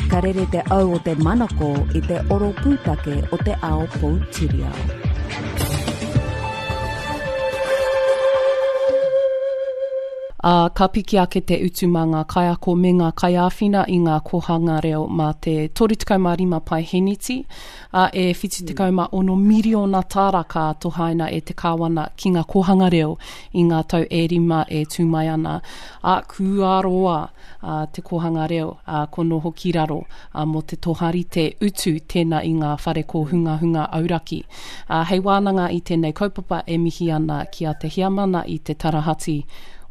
Ka rere te au o te manako i te oro pūtake o te ao poutiriao. Ā, ka piki ake te utu mā ngā kaiako me ngā kaiāwhina i ngā kōhanga reo mā te 35 paeheneti, ā, e 76 miriona tāra ka tohaina e te Kāwana ki ngā kōhanga reo i ngā tau e rima e tū mai ana. Ā, kua roa ā, te kōhanga reo, ā, ko noho ki raro, ā, mō te toharite utu tēnā i ngā whare kōhungahunga auraki. Ā, hei wānanga i tēnei kaupapa e mihi ana ki a Te Heamana i te tarahati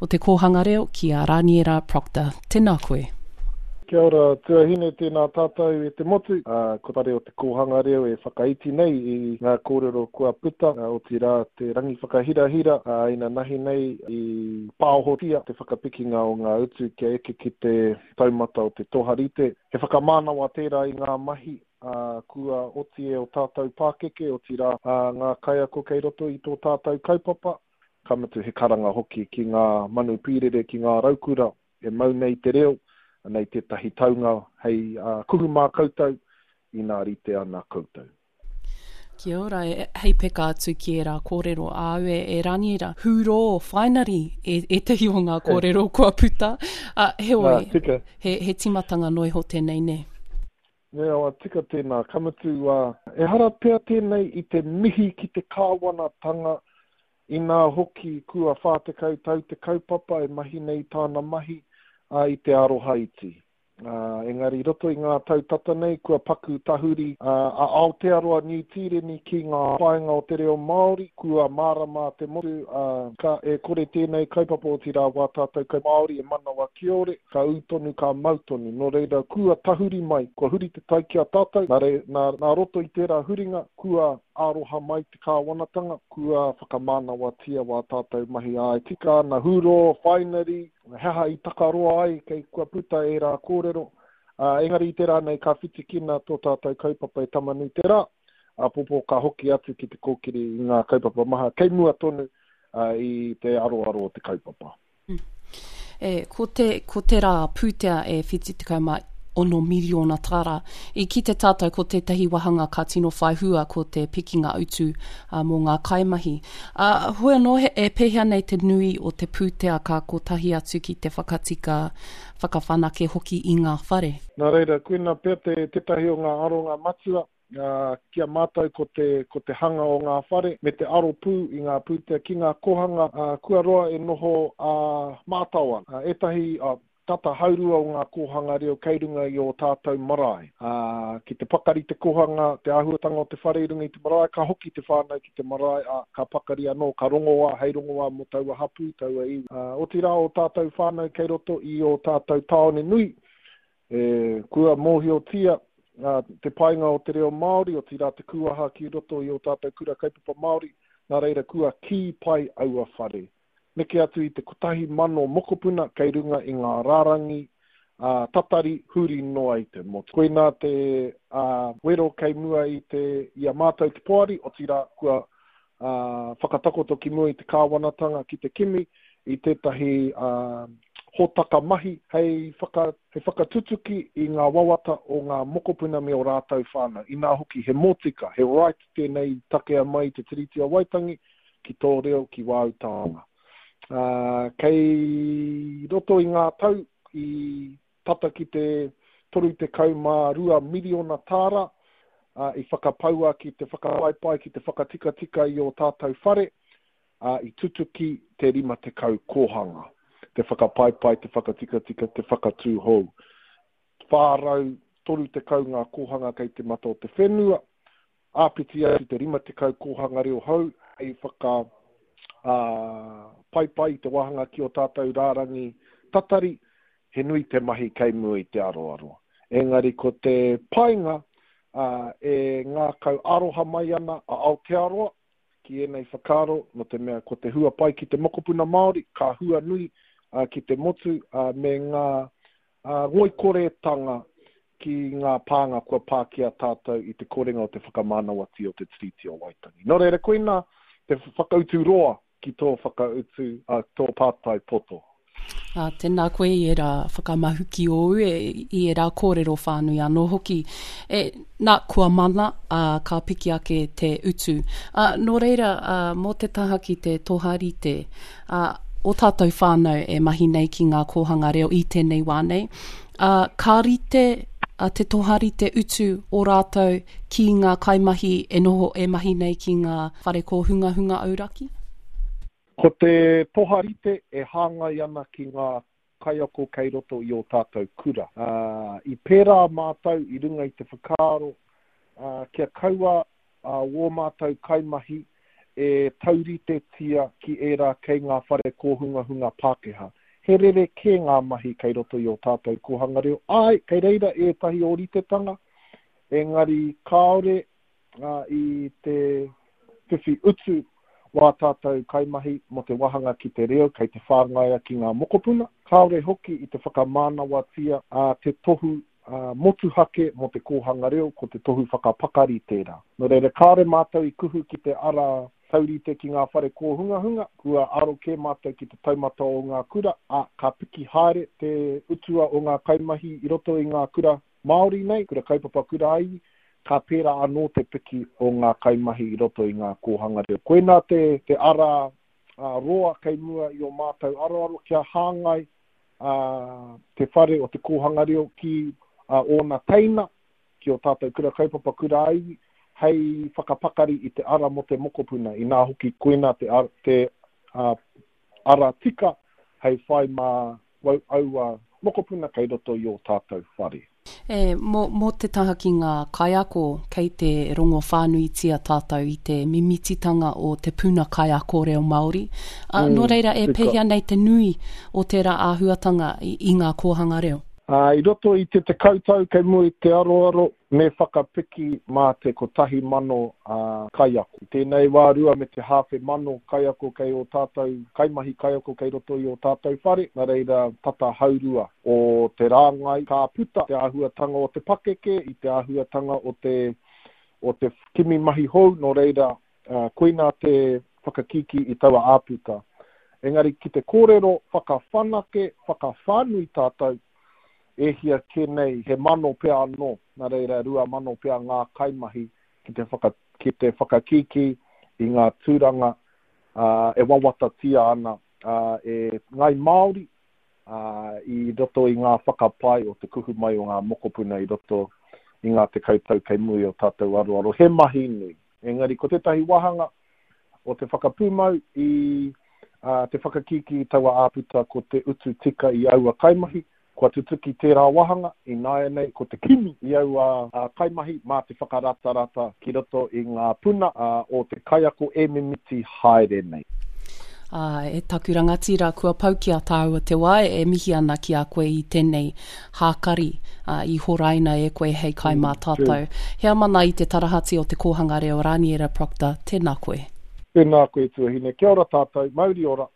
o te kōhanga reo ki a Raniera Procter. Tēnā koe. Kia ora tuahine, tēnā tātou e te motu. Ā, ko Whare o te Kōhanga Reo e whakaiti nei i ngā kōrero kua puta, otirā te rangi whakahirahira, ā, inanahi nei i pāohotia te whakapikinga o ngā utu kia eke ki te taumata o te toharite. He whakamānawa tērā i ngā mahi, ā, kua oti e ō tātou pākeke, otirā, ā, ngā kaiako kei roto i tō tātou kaupapa, ka mutu he karanga hoki ki ngā manu pīrere, ki ngā raukura e mau nei te reo, anei tētahi taunga hei kuhu mā koutou, inā rite ana koutou. Kia ora, hei peka atu ki ērā kōrero āu e, e Raniera. Hūrō, whainari, e, ētahi o ngā kōrero kua puta. Uh, heoi, Nā, tika. he, he timatanga noa iho tēnei, nē? Nē, awa, tika tēnā. Ka mutu, uh, ehara pea tēnei i te mihi ki te kāwanatanga Inā hoki, kua 40 tau te kaupapa e mahi nei tāna mahi, ā, i te aroha iti. Ā, engari i roto i ngā tau tata nei, kua paku tahuri a Aotearoa Niu Tīreni ki ngā painga o te reo Māori, kua mārama te motu, ā, ka e kore tēnei kaupapa, otirā wā tātou kai Māori e manawa kiore, ka ū tonu, ka mau tonu. Nō reira, kua tahuri mai, kua huri te tai ki a tātou, nā, nā, nā roto i tērā huringa, kua aroha mai te kāwanatanga, kua whakamānawatia wā tātou mahi ā, e tika ana, hūrō, whainari, he aha i takaroa ai kei kua puta ērā kōrero, ā, engari i te rā nei ka whitikina tō tātou kaupapa e Tamanuiterā, āpōpō ka hoki atu ki te kōkiri i ngā kaupapa maha kei mua tonu i te aroaro o te kaupapa. E, ko te, ko te rā pūtea e 76 miriona tāra. I kite tātou ko tētahi wāhanga ka tino whai hua ko te pikinga utu uh, mō ngā kaimahi. Uh, hoi anō, he, e pēhea nei te nui o te pūtea ka kotahi atu ki te whakatika, whakawhanake hoki i ngā whare? Nā reira, koina pea te, tētahi o ngā aronga matua Ā, ki a mātou ko te, ko te hanga o ngā whare me te aro pū i ngā pūtea ki ngā kōhanga, ā, kua roa e noho ā, mātao ana. Ā, ētahi, ā, tata haurua o ngā kōhanga reo kei runga i ō tātou marae. Ā, ki te pakari te kōhanga, te āhuatanga o te whare i runga i te marae, ka hoki te whānau ki te marae, ā, ka pakari anō, ka rongoā hei rongoā mō taua hapū, taua iwi. Ā, otirā ō tātou whānau kei roto i ō tātou tāone nui, E, kua mōhiotia te painga o te reo Māori, otirā te kūaha ki roto i ō tātou kura kaupapa Māori, nā reira kua kī pai aua whare. Neke atu i te 1,000 mokopuna kei runga i ngā rārangi tatari huri noa i te motu. Koinā te wero kei mua i te, i a mātou te poari, otirā kua whakatakoto ki mua i te kāwanatanga ki te kimi i tētahi hōtaka mahi hei whaka, hei whakatutuki i ngā wawata o ngā mokopuna me ō rātou whānau. Inā hoki, he mōtika, he right tēnei i takea mai i te Tiriti o Waitangi ki tō reo, ki wāu taonga. Kei roto i ngā tau i tata ki te 32 miriona tāra i whakapaua ki te whakapaipai, ki te whakatikatika i ō tātou whare, ā, i tutuki te 50 kōhanga, te whakapaipai, te whakatikatika, te whakatū hou. 430 ngā kōhanga kei te mata o te whenua, Āpiti atu te 50 kōhanga reo hou hei whaka paipai i te wāhanga ki ō tātou rārangi tatari, he nui te mahi kei mua i te aroaro. Engari ko te painga e ngākau aroha mai ana a Aotearoa ki ēnei whakaaro, nō te mea ko te hua pai ki te mokopuna Māori, ka hua nui ki te motu me ngā ngoikoretanga ki ngā pānga kua pā ki a tātou i te korenga o te whakamānawatia o te Tiriti o Waitangi. Nō reira, koinā te whakautu roa ki tō whakautu, tō pātai poto. Ā, tēnā koe i ērā whakamahuki ōu, e, i ērā kōrero whānui anō hoki. E, nā, kua mana, ā, ka piki ake te utu. Ā, nō reira, ā, mō te taha ki te toharite, ā, o tātou whānau e mahi nei ki ngā kōhanga reo i tēnei wā nei, ā, ka rite a te toharite utu o rātou ki ngā kaimahi e noho e mahi nei ki ngā whare kōhungahunga auraki? Ko te toharite e hāngai ana ki ngā kaiako kei roto i ō tātou kura. Ā, i pērā mātou i runga i te whakaaro, ā, kia kaua ā wō mātou kaimahi e tauritetia ki ērā kei ngā whare kōhungahunga Pākehā. He rerekē ngā mahi kei roto i ō tātou kōhanga reo. Āe, kei reira ētahi ōritetanga, engari kāore i te whiwhi utu wā tātou kaimahi mō te wāhanga ki te reo kei te whāngaia ki ngā mokopuna. Kāore hoki i te whakamānawatia te tohu motuhake mō te kōhanga reo, ko te tohu whakapakari tērā. Nō reira, kāore mātou i kuhu ki te ara taurite ki ngā whare kōhungahunga, kua aro kē mātou ki te taumata o ngā kura, ā, ka piki haere te utua o ngā kaimahi i roto i ngā kura Māori nei, kura kaupapa, kura ā-iwi, ka pērā anō te piki o ngā kaimahi i roto i ngā kōhanga reo. Koinā te, te ara roa kei mua i ō mātou aroaro kia hāngai te whare o te kōhanga reo ki ōna teina, ki ō tātou kura kaupapa, kura ā-iwi, hei whakapakari i te ara mō te mokopuna, inā hoki koinā te, te ara tika hei whai mā aua mokopuna kei roto i ō tātou whare. E, mō, mō te taha ki ngā kaiako, kei te rongo whānuitia tātou i te mimititanga o te puna kaiako reo Māori. Ā, nō reira, e pēhea nei te nui o tērā āhuatanga i, i ngā kōhanga reo? Ā, i roto i te tekau tau kei mua i te aroaro, Me whakapiki mā te 1,000 kaiako. I tēnei wā 2,500 kaiako kei ō tātou, kaimahi kaiako kei roto i ō tātou whare, nā reira tata haurua o te rāngai ka puta te āhuatanga o te pakeke, i te āhuatanga o te, o te kimi mahi hou, nō reira koinā te whakakīkī i taua āputa. Engari ki te kōrero whakawhanake, whakawhānui tātou, E hia kē nei, he mano pea anō, nā reira 2000 pea ngā kaimahi ki te whaka, ki te whakakīkī i ngā tūranga e wawatatia ana e Ngāi Māori i roto i ngā whakapae o te kuhu mai o ngā mokopuna i roto i ngā tekau tau kei muri o tātou aroaro. He mahi nui. Engari ko tētahi wāhanga o te whakapūmau i te whakakīkī i taua āputa ko te utu tika i aua kaimahi, kua tutuki tērā wāhanga, ināianei ko te kimi i aua kaimahi mā te whakaratarata ki roto i ngā puna o te kaiako e mimiti haere nei. Ā, e taku rangatira, kua pau ki a tāua te wā e mihi ana ki a koe i tēnei hākari, ā, i horaina e koe hei kai mā tātou. Heamana i te tarahati o Te Kōhanga Reo Raniera Procter, tēnā koe. Tēnā koe tuahine. Kia ora tātou. Mauri ora.